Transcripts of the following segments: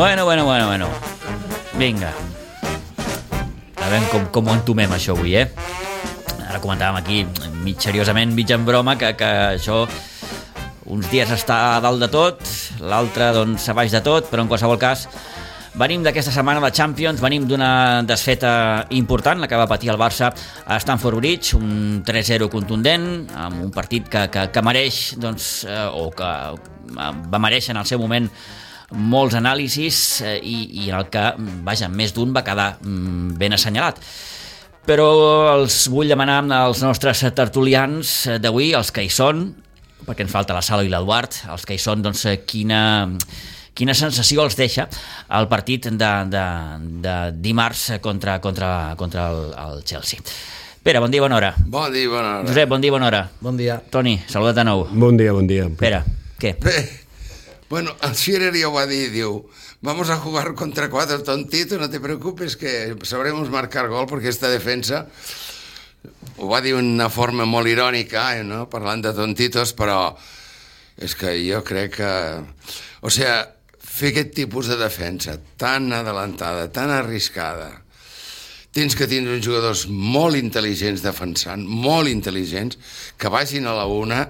Bueno. Vinga. A veure com ho entomem, això, avui, Ara comentàvem aquí, mig seriosament, mig en broma, que això uns dies està a dalt de tot, l'altre, doncs, a baix de tot, però en qualsevol cas, venim d'aquesta setmana de Champions, venim d'una desfeta important, la que va patir el Barça a Stamford Bridge, un 3-0 contundent, amb un partit que mereix, doncs, o que va mereixer en el seu moment molts anàlisis i en el que, vaja, més d'un va quedar ben assenyalat. Però els vull demanar als nostres tertulians d'avui, els que hi són, perquè ens falta la Sala i l'Eduard, els que hi són, doncs, quina sensació els deixa el partit de dimarts contra el Chelsea. Pere, bon dia, bona hora. Bon dia, bona hora. Josep, bon dia, bona hora. Bon dia. Toni, saluda't de nou. Bon dia. Pere, què? Bé, bueno, el Schirer ja ho va dir, diu, vamos a jugar contra cuatro tontitos, no te preocupes que sabremos marcar gol, perquè esta defensa, ho va dir d'una forma molt irònica, no? Parlant de tontitos, però és que jo crec que... O sigui, fer aquest tipus de defensa tan adelantada, tan arriscada, tens que tindre uns jugadors molt intel·ligents defensant, molt intel·ligents, que vagin a la una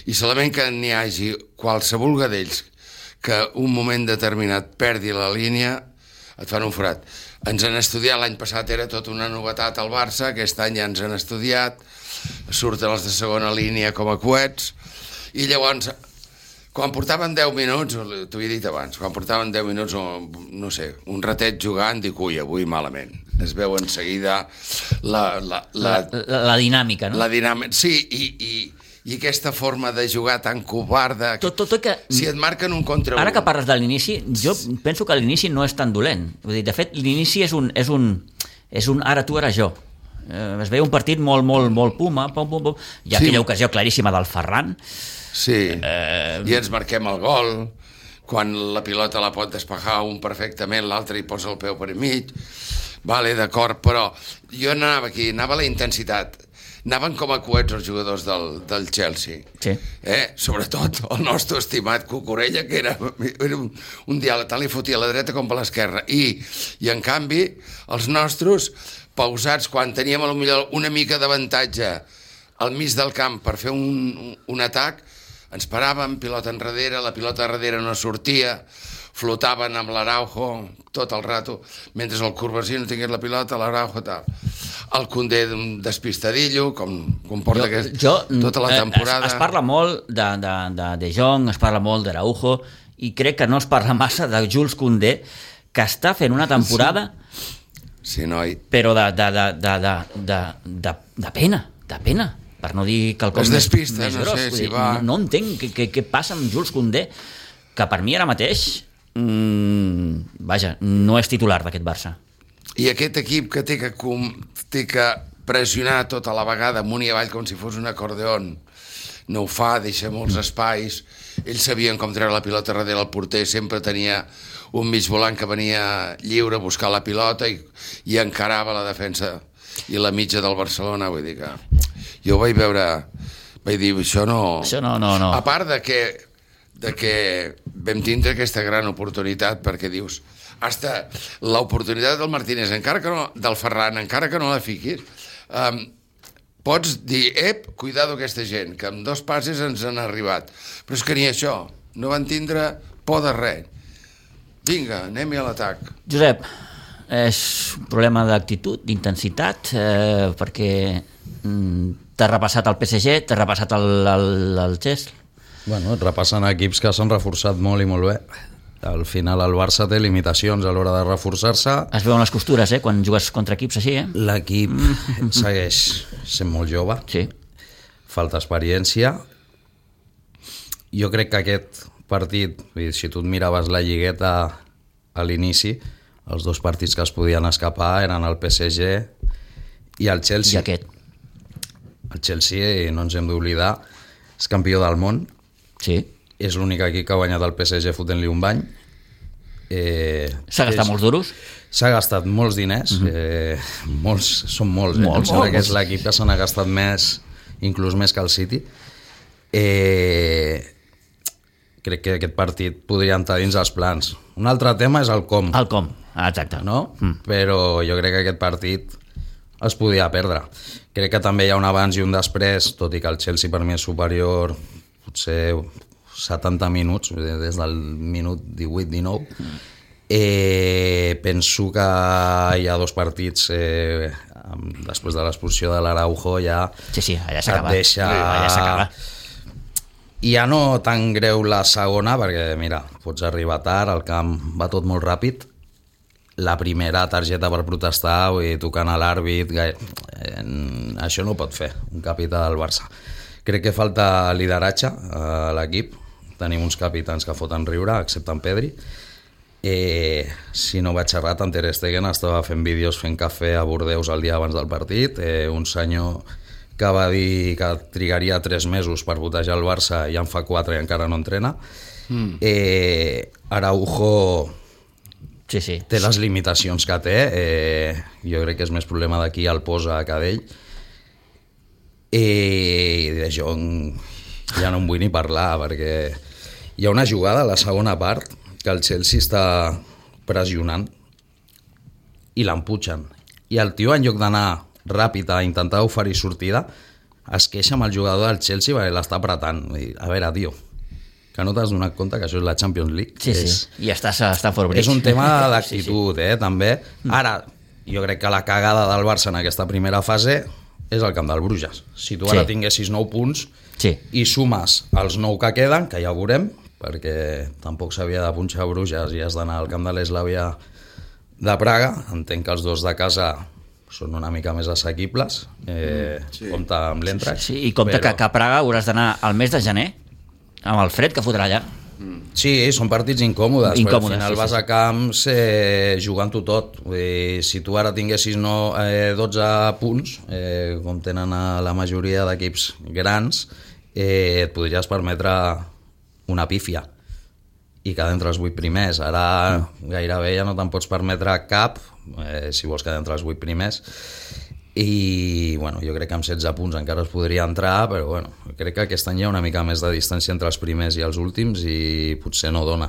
i solament que n'hi hagi qualsevol d'ells que un moment determinat perdi la línia, et fan un forat. Ens han estudiat, l'any passat era tot una novetat al Barça, aquest any ja ens han estudiat, surten els de segona línia com a coets, i llavors, quan portaven 10 minuts, t'ho he dit abans, quan portaven 10 minuts, no sé, un ratet jugant, dic, ui, avui malament. Es veu en seguida la dinàmica, no? La dinàmica, sí, i aquesta forma de jugar tan covarda, tot que... si et marquen un contra un... Ara que parles de l'inici, jo penso que l'inici no és tan dolent. Vull dir, de fet, l'inici és un ara tu, ara jo. Es veia un partit molt puma, pum. Hi ha aquella ocasió claríssima del Ferran. Sí, i ens marquem el gol, quan la pilota la pot despejar un perfectament, l'altre hi posa el peu per mig. Vale, d'acord, però jo anava aquí, anava a la intensitat. Anaven com a coets els jugadors del Chelsea. Sí. Sobretot el nostre estimat Cucurella, que era un diàleg, tal li fotia a la dreta com a l'esquerra. I en canvi, els nostres, pausats, quan teníem potser una mica d'avantatge al mig del camp per fer un atac, ens paràvem, pilota enrere, la pilota darrere no sortia, flotaven amb l'Araujo tot el rato, mentre el Courvoisier no tingués la pilota, l'Araujo tal. El Koundé despistadillo, com porta tota la temporada. Es parla molt de Jong, es parla molt d'Araujo, i crec que no es parla massa de Jules Koundé, que està fent una temporada sí, noi. Però de pena, per no dir quelcom es despista, més no gros. sé si va... No entenc què passa amb Jules Koundé, que per mi ara mateix vaja, no és titular d'aquest Barça. I aquest equip que té que pressionar tota la vegada amunt i avall com si fos un acordeon, no ho fa, deixa molts espais, ells sabien com treure la pilota darrere el porter, sempre tenia un mig volant que venia lliure a buscar la pilota i encarava la defensa i la mitja del Barcelona. Vull dir que jo vaig veure, vaig dir, això no. A part de que vam tindre aquesta gran oportunitat, perquè dius, hasta l'oportunitat del Martínez, del Ferran, encara que no la fiquis, pots dir, cuidado aquesta gent, que amb 2 passes ens han arribat. Però és que ni això, no van tindre por de res. Vinga, anem-hi a l'atac. Josep, és un problema d'actitud, d'intensitat, perquè t'ha repassat el PSG, t'ha repassat el Chelsea. Bueno, repassen equips que s'han reforçat molt i molt bé. Al final el Barça té limitacions a l'hora de reforçar-se. Es veuen les costures, quan jugues contra equips així, L'equip segueix sent molt jove. Sí. Falta experiència. Jo crec que aquest partit, si tu et miraves la lligueta a l'inici, els 2 partits que es podien escapar eren el PSG i el Chelsea. I aquest. El Chelsea, no ens hem d'oblidar, és campió del món. Sí. És l'únic equip que ha guanyat el PSG fotent-li un bany. S'ha gastat molts duros? S'ha gastat molts diners, són molts. Em sembla que és l'equip que se n'ha gastat més, inclús més que el City. crec que aquest partit podria entrar dins els plans. Un altre tema és el com. El com, exacte. No? Però jo crec que aquest partit es podia perdre. Crec que també hi ha un abans i un després, tot i que el Chelsea per mi és superior potser 70 minuts, des del minut 18-19. Penso que hi ha dos partits després de l'expulsió de l'Araujo ja allà s'acaba. Et deixa... Allà s'acaba. I ja no tan greu la segona, perquè mira, pots arribar tard, el camp va tot molt ràpid. La primera targeta per protestar, vull dir, tocant a l'àrbit, això no ho pot fer un capità del Barça. Crec que falta lideratge a l'equip. Tenim uns capitans que foten riure, excepte en Pedri. Si no vaig errat, en Ter Stegen estava fent vídeos fent cafè a Bordeus el dia abans del partit. Un senyor que va dir que trigaria 3 mesos per botejar el Barça i en fa 4 i encara no entrena. Araujo té les limitacions que té. Jo crec que és més problema d'aquí el posa que d'ell. I de Jong ja no en vull ni parlar, perquè hi ha una jugada a la segona part que el Chelsea està pressionant i l'emputxen. I el tio, en lloc d'anar ràpid a intentar oferir sortida, es queixa amb el jugador del Chelsea perquè l'està apretant. A veure, tio, que no t'has donat compte que això és la Champions League? I estàs a Stamford Bridge. És un tema d'actitud, també. Ara, jo crec que la cagada del Barça en aquesta primera fase és el camp del Bruges. Si tu ara tinguessis 9 punts i sumes els 9 que queden, que ja ho veurem, perquè tampoc s'havia de punxar a Bruges i has d'anar al camp de l'Eslavia de Praga. Entenc que els dos de casa són una mica més assequibles. Compte amb l'Eintracht. I compte que a Praga hauràs d'anar al mes de gener amb el fred que fotrà allà. Sí, són partits incòmodes, però al final vas a camps jugant-ho tot. Si tu ara tinguessis 12 punts, com tenen a la majoria d'equips grans, et podries permetre una pífia i quedar entre els 8 primers. Ara gairebé ja no te'n pots permetre cap, si vols quedar entre els 8 primers. I bueno, jo crec que amb 16 punts encara es podria entrar, però bueno, crec que aquest any hi ha una mica més de distància entre els primers i els últims i potser no dona.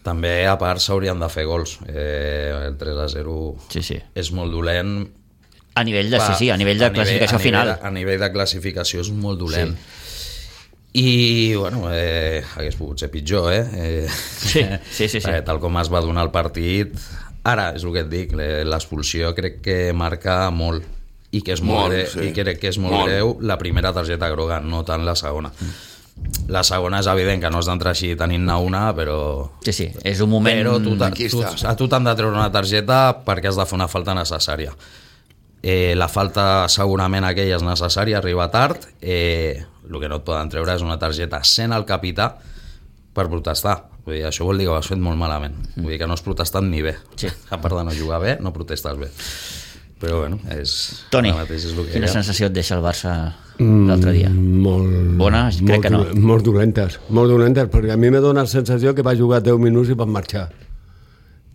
També, a part, s'haurien de fer gols. El 3-0 és molt dolent. A nivell de, a nivell de classificació final. A nivell de classificació és molt dolent. I, bueno, hagués pogut ser pitjor, Sí. Tal com es va donar el partit. Ara, és el que et dic, l'expulsió crec que marca molt. I que és molt greu, i crec que és molt greu la primera targeta groga, no tant la segona. La segona és evident que no has d'entrar així tenint-ne una, però... Sí, és un moment... Però a tu t'han de treure una targeta perquè has de fer una falta necessària. La falta segurament aquella és necessària, arriba tard. El que no et poden treure és una targeta sent el capità per protestar. Vull dir, això vol dir que ho has fet molt malament. Vull dir que no has protestat ni bé. A part de no jugar bé, no protestes bé. Però bueno, Toni, quina sensació et deixa el Barça l'altre dia? Bona? Crec que no. Molt dolentes, perquè a mi me dona la sensació que va jugar 10 minuts i va marxar.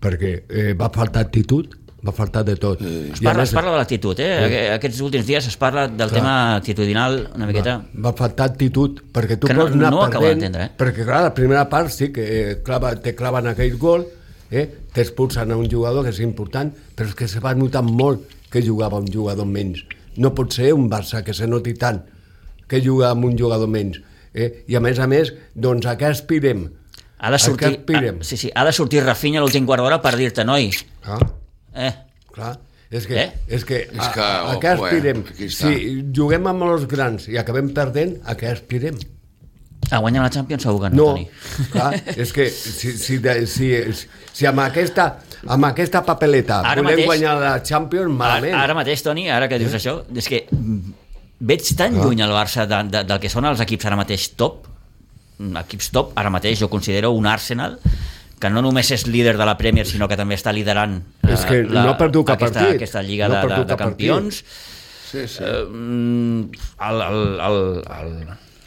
Perquè va faltar actitud, va faltar de tot. Es parla de l'actitud, Aquests últims dies es parla del tema actitudinal una miqueta. Va faltar actitud, perquè tu pots anar perdent, perquè clar, la primera part sí que te claven aquell gol, t'expulsen a un jugador que és important, però és que se va notar molt que jugava un jugador menys. No pot ser un Barça que se noti tant que juga amb un jugador menys. I a més, doncs a què aspirem? Ha de sortir Rafinha a l'últim quart d'hora per dir-te, noi. Clar, és que a què aspirem? Si juguem amb els grans i acabem perdent, a què aspirem? A guanyar la Champions segur que no, Toni. Clar, és que si amb aquesta papeleta volem guanyar la Champions, malament. Ara mateix, Toni, ara que dius això, és que veig tan lluny el Barça del que són els equips ara mateix top. Equips top, ara mateix jo considero un Arsenal que no només és líder de la Premier, sinó que també està liderant aquesta Lliga de Campions.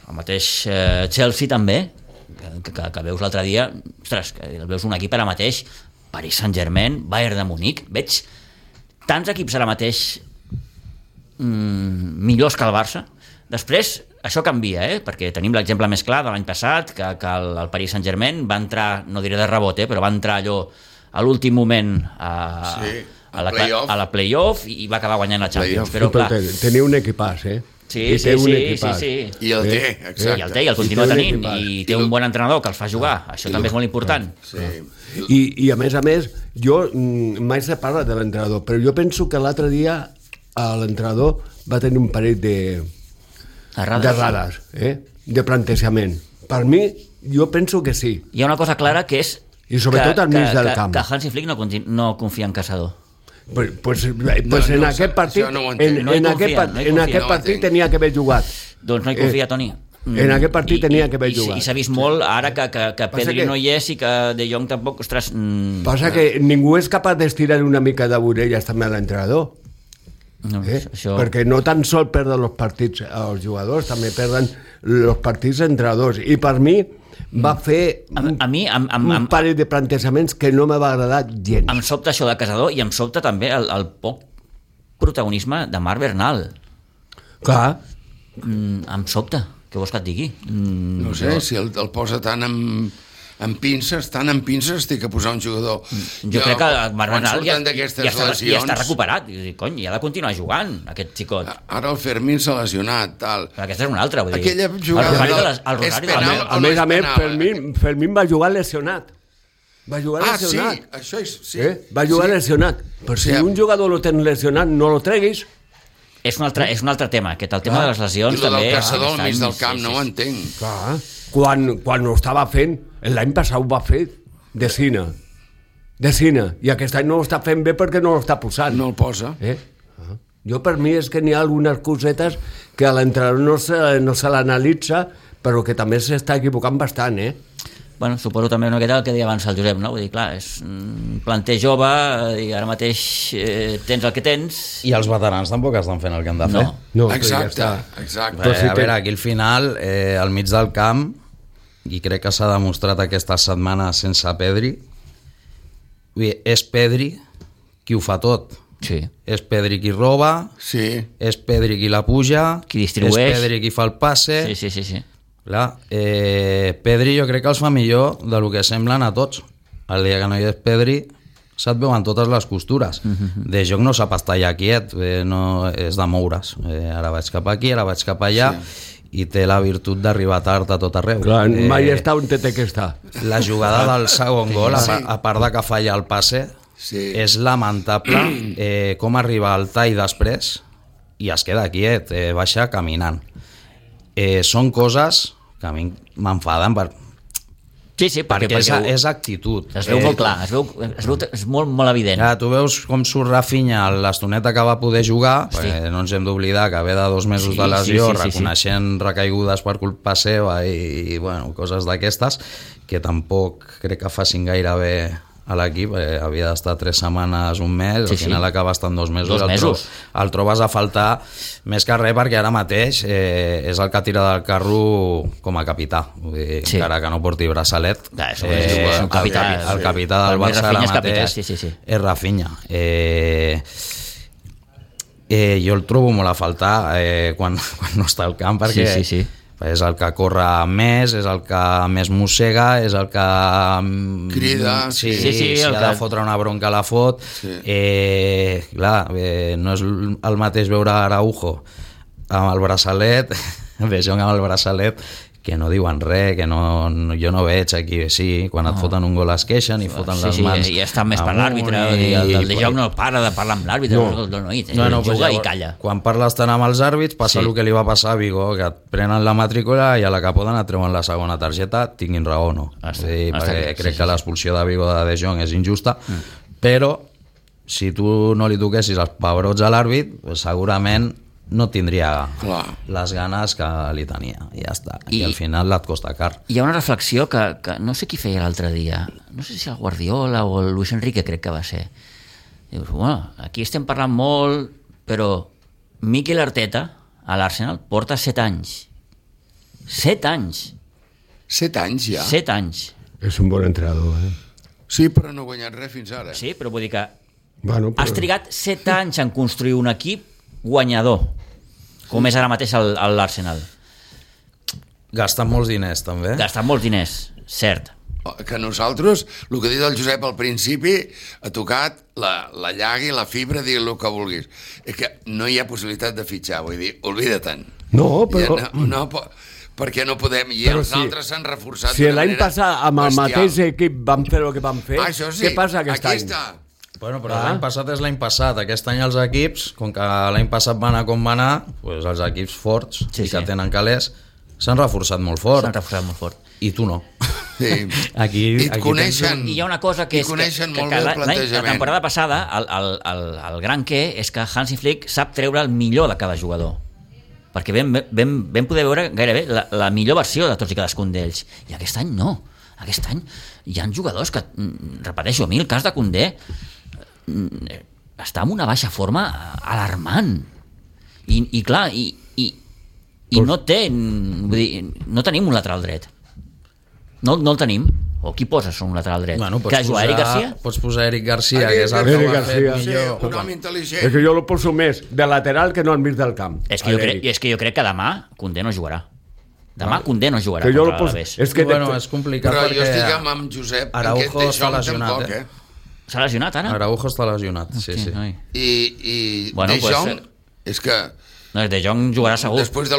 El mateix Chelsea també, que veus l'altre dia, ostres, que veus un equip ara mateix, Paris Saint-Germain, Bayern de Munic, veig tants equips ara mateix millors que el Barça, Després, això canvia, perquè tenim l'exemple més clar de l'any passat, que el Paris Saint-Germain va entrar, no diré de rebot, però va entrar allò a l'últim moment a la play-off i va acabar guanyant la Champions. Però, clar, tenia un equipàs, Sí. I el té, exacte. I el continua tenint, i té un bon entrenador que el fa jugar, això també és molt important. I a més, jo mai se parla de l'entrenador, però jo penso que l'altre dia l'entrenador va tenir un parell d'errades, de plantejament. Per mi, jo penso que sí. Hi ha una cosa clara que és i sobretot al mig del camp. Que Hansi Flick no confia en Caçador. Pues en aquest partit en aquest partit tenia que haver jugat. Doncs no hi confia, Toni. En aquest partit tenia que haver jugat. I s'ha vist molt ara que Pedri no hi és i que De Jong tampoc, ostres... Passa que ningú és capaç d'estirar una mica de vorelles també a l'entrenador. Perquè no tan sol perden els partits els jugadors, també perden els partits entrenadors. I per mi va fer un parell de plantejaments que no m'ha agradat gens. Em sobta això de Caçador i em sobta també el poc protagonisme de Marc Bernal. Clar. Em sobta, què vols que et digui? No sé, si el posa tant amb pinces, estic a posar un jugador. Jo crec que el Marc Bernal ja està recuperat. Cony, ja ha de continuar jugant, aquest xicot. Ara el Fermín s'ha lesionat, tal. Però aquesta és una altra, vull dir. Aquella jugada... A més, Fermín va jugar lesionat. Va jugar lesionat. Sí, això és... Va jugar lesionat. Però si un jugador lo tens lesionat, no lo treguis. És un altre tema, aquest, el tema de les lesions també... I el Caçador al mig del camp, no ho entenc. Clar, quan ho estava fent, l'any passat ho va fer de Cina, i aquest any no ho està fent bé perquè no l'està posant. No el posa. Jo, per mi, és que n'hi ha algunes cosetes que a l'entrenador no se l'analitza, però que també s'està equivocant bastant, Bueno, suposo també una miqueta el que deia abans el Josep, no? Vull dir, clar, és un planter jove i ara mateix tens el que tens... I els veterans tampoc estan fent el que han de fer. No, exacte. A veure, aquí al final, al mig del camp, i crec que s'ha demostrat aquesta setmana sense Pedri, és Pedri qui ho fa tot. Sí. És Pedri qui roba, és Pedri qui la puja, qui distribueix, és Pedri qui fa el passe... Sí. Clar, Pedri jo crec que els fa millor del que semblen a tots. El dia que no hi és Pedri se't veuen totes les costures. De Jong no sap estar allà quiet, no és de moure's. Ara vaig cap aquí, ara vaig cap allà, i té la virtut d'arribar tard a tot arreu. Clar, mai està on té que estar. La jugada del segon gol, a part de que falla el passe, és lamentable com arriba al tall després i es queda quiet, baixa caminant. Són coses que a mi m'enfaden perquè és actitud. Es veu molt clar, és molt evident. Tu veus com surt Rafinha l'estoneta que va poder jugar, perquè no ens hem d'oblidar que ve de 2 mesos de lesió, reconeixent recaigudes per culpa seva i coses d'aquestes, que tampoc crec que facin gaire bé a l'equip, havia d'estar 3 setmanes, un mes, al final acaba estant 2 mesos. 2 mesos. El trobes a faltar més que res perquè ara mateix és el que tira del carro com a capità, encara que no porti braçalet. És un capità. El capità del Barça ara mateix és Rafinha. Jo el trobo molt a faltar quan no està al camp, perquè és el que corre més, és el que més mossega, és el que crida, si ha de fotre una bronca la fot. Clar, no és el mateix veure Araujo amb el braçalet, De Jong amb el braçalet, que no diuen res, que jo no veig aquí, quan et foten un gol es queixen i foten les mans. I està més per l'àrbitre, el De Jong no para de parlar amb l'àrbitre, juga i calla. Quan parles tant amb els àrbits passa el que li va passar a Vigo, que et prenen la matrícula i a la que poden et treuen la segona targeta, tinguin raó o no. Perquè crec que l'expulsió de Vigo de Jong és injusta, però si tu no li toquessis els pebrots a l'àrbit, segurament no tindria les ganes que li tenia, i ja està. I al final et costa car. Hi ha una reflexió que no sé qui feia l'altre dia, no sé si el Guardiola o el Luis Enrique crec que va ser. Dius, aquí estem parlant molt, però Mikel Arteta a l'Arsenal porta 7 anys. 7 anys. 7 anys ja? 7 anys. És un bon entrenador, Sí, però no ha guanyat res fins ara. Sí, però vull dir que has trigat 7 anys en construir un equip guanyador. Com és ara mateix l'Arsenal? Gastant molts diners, també. Gastant molts diners, cert. Que nosaltres, el que ha dit el Josep al principi, ha tocat la llaga i la fibra, digui el que vulguis. És que no hi ha possibilitat de fitxar, vull dir, oblida-te'n. No, però... Perquè no podem, i els altres s'han reforçat si l'any passat amb el mateix equip vam fer el que vam fer, què passa aquest any? Bueno, però l'any passat és l'any passat. Aquest any els equips, com que l'any passat va anar com va anar, doncs els equips forts que tenen calés s'han reforçat molt fort. S'han reforçat molt fort. I tu no. Sí. Aquí coneixen. I hi ha una cosa que és que la temporada passada el gran què és que Hansi Flick sap treure el millor de cada jugador, perquè vam poder veure gairebé la millor versió de tots i cadascun d'ells, i aquest any no. Aquest any hi ha jugadors que, repeteixo, a mi el cas de Koundé està en una baixa forma alarmant i clar, i no té, vull dir, no tenim un lateral dret, no el tenim. O qui poses un lateral dret? Bueno, que jugar Eric Garcia? Pots posar Eric Garcia, que és el que ho ha fet millor. Un home intel·ligent. És que jo el poso més de lateral que no al mig del camp. És que jo crec que demà Koundé no jugarà. Demà Koundé no jugarà contra l'Alavés. És complicat. Però jo estic amb Josep. Araujo està lesionat. S'ha lesionat ara? Araujo està lesionat, sí. I De Jong, és que... No, De Jong jugarà segur. Després de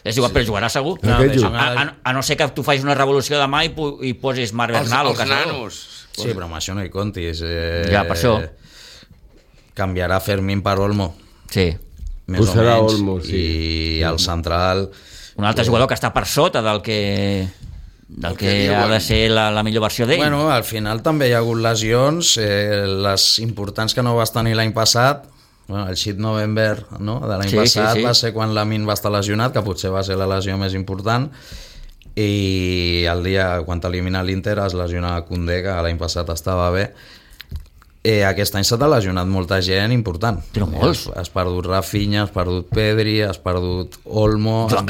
és igual, però jugarà segur. A no ser que tu facis una revolució demà i posis Marc Bernal o Casador. Nanos. Sí, però amb això no hi comptis. Ja, per això. Canviarà Fermín per Olmo. Sí. Més o menys. Olmo, sí. I el central... Un altre jugador que està per sota del que ha de ser la millor versió d'ell. Bueno, al final també hi ha hagut lesions, les importants que no vas tenir l'any passat. Bueno, el Shit November, no? De l'any passat va ser quan Lamin va estar lesionat, que potser va ser la lesió més important, i el dia quan t'elimina l'Inter es lesiona Koundé, que l'any passat estava bé. Aquest any s'ha lesionat molta gent important. Però molts. Has perdut Rafinha, has perdut Pedri, has perdut Olmo, Joan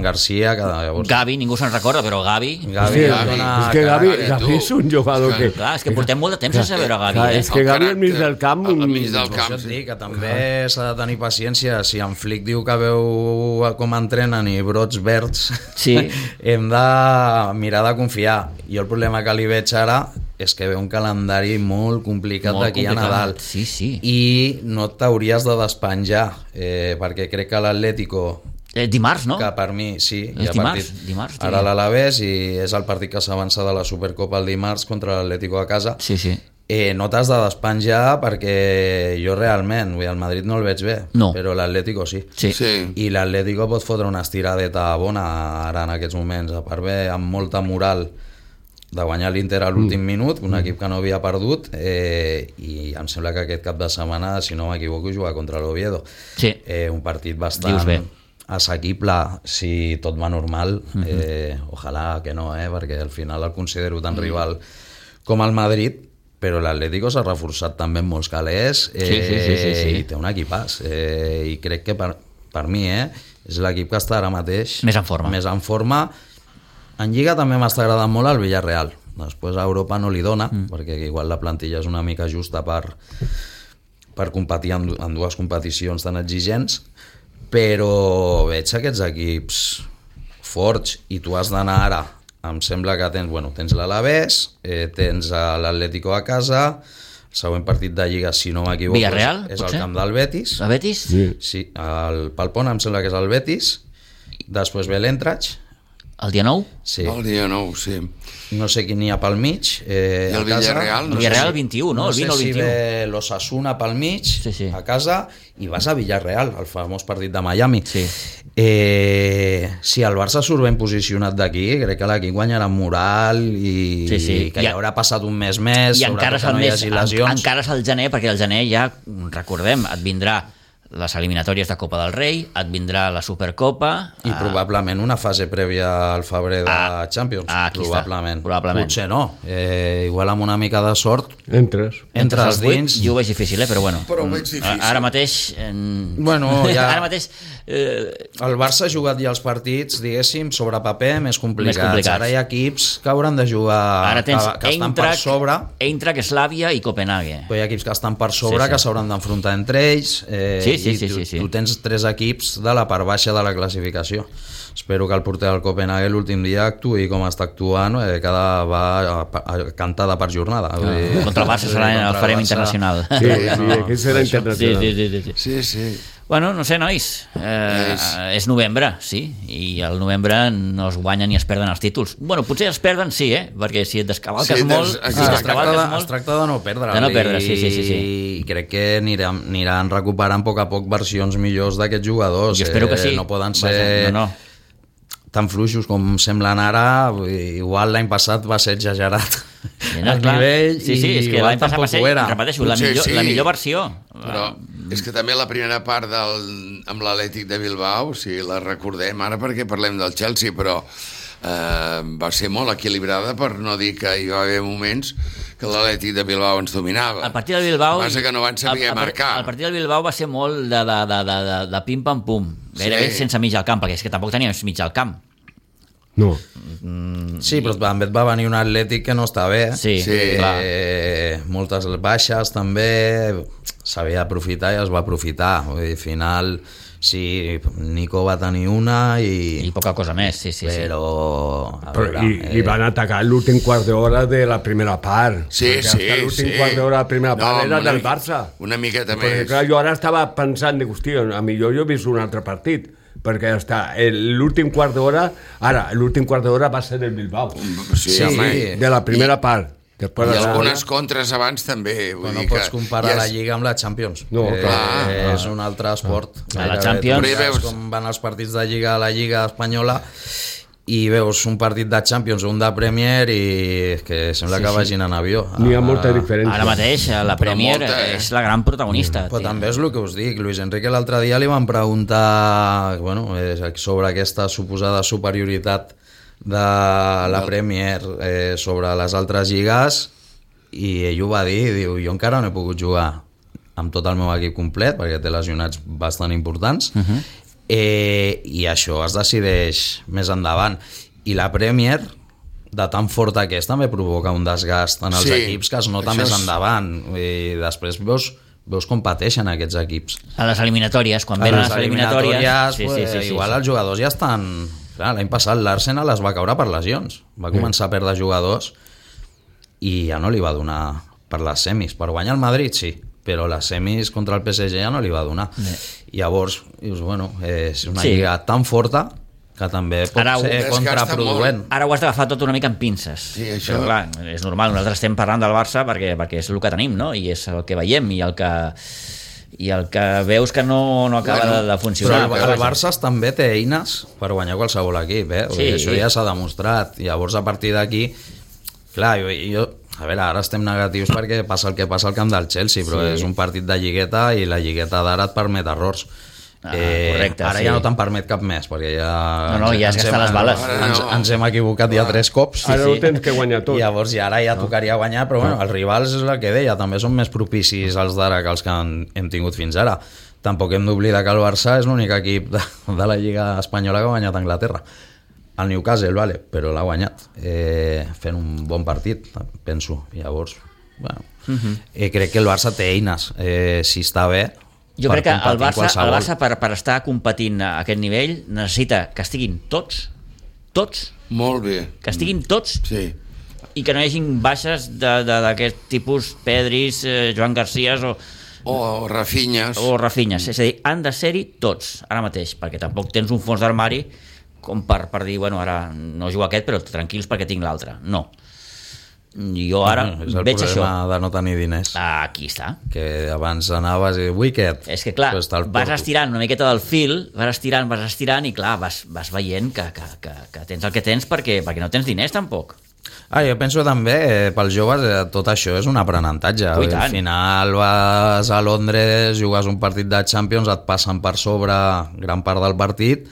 Garcia, llavors... Gavi, ningú se'n recorda, però Gavi... És que Gavi és un jugador que... Clar, és que portem molt de temps sense veure Gavi. És que Gavi al mig del camp... Al mig del camp, sí. Que també s'ha de tenir paciència. Si en Flick diu que veu com entrenen i brots verds, hem de mirar de confiar. Jo el problema que li veig ara és que ve un calendari molt complicat d'aquí a Nadal. Sí. I no t'hauries de despenjar, perquè crec que l'Atlético... Dimarts, no? Que per mi, sí. És dimarts. Ara l'Alavés, i és el partit que s'avança de la Supercopa el dimarts contra l'Atlético a casa. Sí. No t'has de despenjar perquè jo realment, el Madrid no el veig bé, però l'Atlético sí. I l'Atlético pot fotre una estiradeta bona ara en aquests moments, a part bé, amb molta moral de guanyar l'Inter a l'últim minut, un equip que no havia perdut, i em sembla que aquest cap de setmana, si no m'equivoco, jugar contra l'Oviedo. Un partit bastant assequible si tot va normal. Ojalà que no, perquè al final el considero tan rival com el Madrid, però l'Atlético s'ha reforçat també en molts calés i té un equipàs, i crec que per mi és l'equip que està ara mateix més en forma. En Lliga també m'està agradant molt el Villarreal. Després a Europa no li dona, perquè igual la plantilla és una mica justa per competir en dues competicions tan exigents, però veig aquests equips forts, i tu has d'anar ara. Em sembla que tens l'Alavés, tens l'Atlético a casa, el següent partit de Lliga, si no m'equivoco, Villarreal, és el camp del Betis. El Betis? Sí, el Palpón em sembla que és el Betis, després ve l'Eintracht, el dia 9? Sí. El dia 9, sí. No sé quin n'hi ha pel mig. I el Villarreal? El Villarreal el 21, no? No sé si ve l'Osasuna pel mig, a casa, i vas a Villarreal, el famós partit de Miami. Si el Barça surt ben posicionat d'aquí, crec que l'equip guanyarà moral i que ja haurà passat un mes més, sobretot que no hi hagi lesions. Encara és el gener, perquè el gener ja, recordem, et vindrà les eliminatòries de Copa del Rei, et vindrà la Supercopa... I probablement una fase prèvia al febrer de Champions. Probablement. Potser no. Igual amb una mica de sort... Entres dins... Jo ho veig difícil, però bueno. Però ho veig difícil. Ara mateix... Ara mateix... El Barça ha jugat ja els partits, diguéssim, sobre paper, més complicats. Ara hi ha equips que hauran de jugar... que estan per sobre... Eintracht, Slavia i Copenhague. Però hi ha equips que estan per sobre, que s'hauran d'enfrontar entre ells... Tu tens 3 equips de la part baixa de la classificació. Espero que el porter del Copenhague l'últim dia actuï com està actuant, va cantada per jornada. Contra el Barça serà el farem internacional. Sí, aquí serà internacional. Sí. Bueno, no sé, nois, és novembre, sí, i al novembre no es guanyen ni es perden els títols. Bueno, potser els perden, sí, perquè si et descavalques molt... Es tracta de no perdre. De no perdre, sí. I crec que aniran recuperant a poc a poc versions millors d'aquests jugadors. Jo espero que sí. No poden ser... tan fluixos com semblen ara. Igual l'any passat va ser exagerat el nivell, sí, és que l'any passat va ser, repeteixo, la millor versió. Però és que també la primera part amb l'Atlètic de Bilbao, si la recordem ara perquè parlem del Chelsea, però va ser molt equilibrada, per no dir que hi va haver moments que l'Atlètic de Bilbao ens dominava. El partit de Bilbao... Passa que no van saber marcar. El partit de Bilbao va ser molt de pim-pam-pum, gairebé sense mig al camp, perquè és que tampoc teníem mig al camp. No. Sí, però també et va venir un Atlètic que no està bé. Sí, clar. Moltes baixes també, s'havia d'aprofitar i es va aprofitar. Al final, sí, Nico va tenir una i poca cosa més, sí. Però i van atacar l'últim quart d'hora de la primera part. Sí. L'últim quart d'hora de la primera part era del Barça. Una miqueta més. Perquè clar, jo ara estava pensant, hòstia, a millor jo he vist un altre partit, perquè l'últim quart d'hora va ser del Bilbao. Sí, de la primera part. I algunes contres abans també. Però no pots comparar la Lliga amb la Champions. No, clar. És un altre esport. La Champions... Veus com van els partits de Lliga a la Lliga espanyola i veus un partit de Champions o un de Premier i que sembla que vagin en avió. N'hi ha molta diferència. Ara mateix la Premier és la gran protagonista. Però també és el que us dic. Luis Enrique l'altre dia li van preguntar sobre aquesta suposada superioritat de la Premier sobre les altres lligues i ell ho va dir, diu, jo encara no he pogut jugar amb tot el meu equip complet perquè té lesionats bastant importants i això es decideix més endavant, i la Premier de tan forta que és també provoca un desgast en els equips que es nota més endavant i després veus com pateixen aquests equips a les eliminatòries, quan venen les eliminatòries igual els jugadors ja estan... Clar, l'any passat l'Arsenal es va caure per lesions, va començar a perdre jugadors i ja no li va donar per les semis. Per guanyar el Madrid sí, però les semis contra el PSG ja no li va donar. I llavors dius, bueno, és una lliga tan forta que també pot ser contraproduent. Ara ho has d'agafar tot una mica amb pinces. Sí, això... Però clar, és normal, nosaltres estem parlant del Barça perquè és el que tenim, no? I és el que veiem i el que veus que no acaba de funcionar. Però el Barça també té eines per guanyar qualsevol equip, això ja s'ha demostrat. Llavors a partir d'aquí, clar, jo a veure, ara estem negatius perquè passa el que passa al camp del Chelsea, però és un partit de lligueta i la lligueta d'ara et permet errors. Correcte, ara ja no te'n permet cap més perquè ja ja has gastat les bales, ens hem equivocat ja 3 cops ara ho tens que guanyar tot, llavors ara ja tocaria guanyar, però bueno, els rivals és el que deia, també són més propicis els d'ara que els que hem tingut fins ara. Tampoc hem d'oblidar que el Barça és l'únic equip de la Lliga Espanyola que ha guanyat a Anglaterra, el Newcastle, vale, però l'ha guanyat fent un bon partit, penso. Llavors bueno, crec que el Barça té eines, si està bé. Jo crec que el Barça per estar competint a aquest nivell necessita que estiguin tots molt bé, que estiguin tots i que no hi hagin baixes d'aquest tipus, Pedris, Joan Garcías o Rafinhas, és a dir, han de ser-hi tots ara mateix, perquè tampoc tens un fons d'armari com per dir, bueno, ara no jugo aquest però tranquils perquè tinc l'altre, no. Jo ara és el veig això. problema de no tenir diners. Aquí està. Que abans anaves i Wicked. És que clar, vas estirant una miqueta del fil, vas estirant i clar, vas veient que tens el que tens perquè no tens diners tampoc. Jo penso també, pels joves, tot això és un aprenentatge. Al final vas a Londres, jugues un partit de Champions, et passen per sobre gran part del partit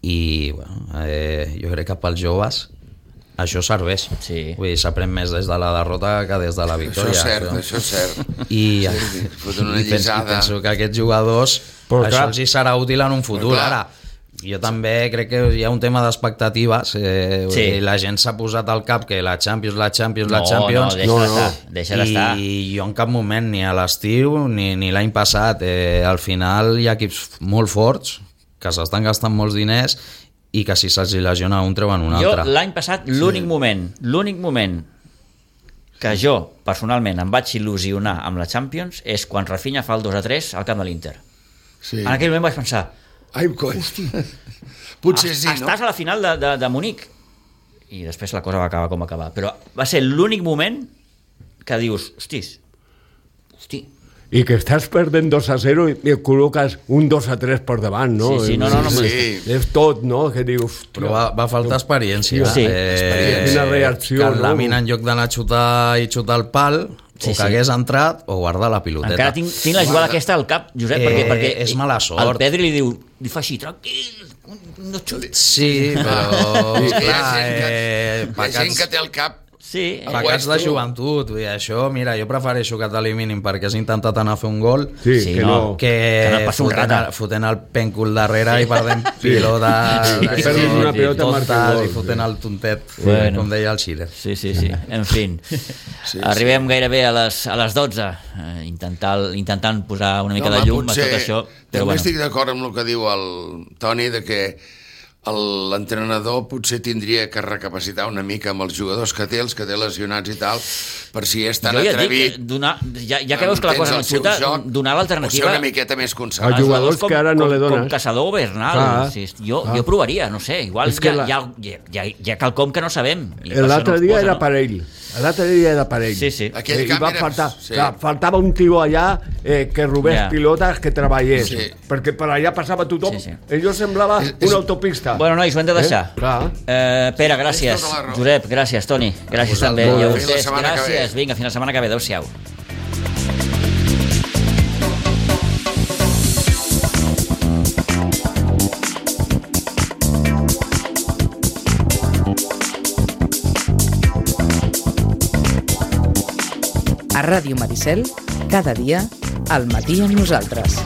i bueno, jo crec que pels joves això serveix. Vull dir, s'aprèn més des de la derrota que des de la victòria. Això és cert. I penso que aquests jugadors això els hi serà útil en un futur. Ara, Jo també crec que hi ha un tema d'expectatives. La gent s'ha posat al cap que la Champions... No, deixa d'estar. I jo en cap moment, ni a l'estiu ni l'any passat, al final hi ha equips molt forts que s'estan gastant molts diners i que si se'ls lesiona un treuen un altre. Jo l'any passat l'únic moment que jo personalment em vaig il·lusionar amb la Champions és quan Rafinha fa el 2-3 al camp de l'Inter. En aquell moment vaig pensar, hosti, potser sí, no? Estàs a la final de Munic. I després la cosa va acabar com va acabar, però va ser l'únic moment que dius, hosti, i que estàs perdent 2-0 i col·loques un 2-3 per davant, no? Sí. És tot, no? Que dius... Però va faltar experiència. Quina reacció, que la mina en lloc d'anar a xutar i xutar el pal, o que hagués entrat, o guardar la piloteta. Encara tinc la jugada aquesta al cap, Josep, perquè és mala sort. El Pedri li fa així, tranquil, no xutis. Sí, però... Hi ha gent que té el cap pecats de joventut, això, mira, jo prefereixo que t'eliminin perquè has intentat anar a fer un gol que fotent el pèncol darrere i perdent pilota i fotent el tontet, com deia el Schiller. Sí. En fi, arribem gairebé a les 12 intentant posar una mica de llum a tot això. També estic d'acord amb el que diu el Toni, de que l'entrenador potser tindria que recapacitar una mica amb els jugadors que té, els que té lesionats i tal, per si és tan atrevit. Ja que veus que la cosa no xuta, donar l'alternativa... O ser una miqueta més conservador. Els jugadors que ara no le dones. Com Caçador o Bernal. Jo provaria, no sé, igual hi ha quelcom que no sabem. L'altre dia era per ell. Sí. I va faltava un tio allà que robés pilotes, que treballés, perquè per allà passava tothom. Allò semblava una autopista. Bueno, nois, ho hem de deixar. Pere, gràcies. Josep, gràcies. Toni, gràcies també. I a vostès, gràcies. Vinga, fins la setmana que ve. Adéu-siau. A Ràdio Maricel, cada dia, al matí amb nosaltres.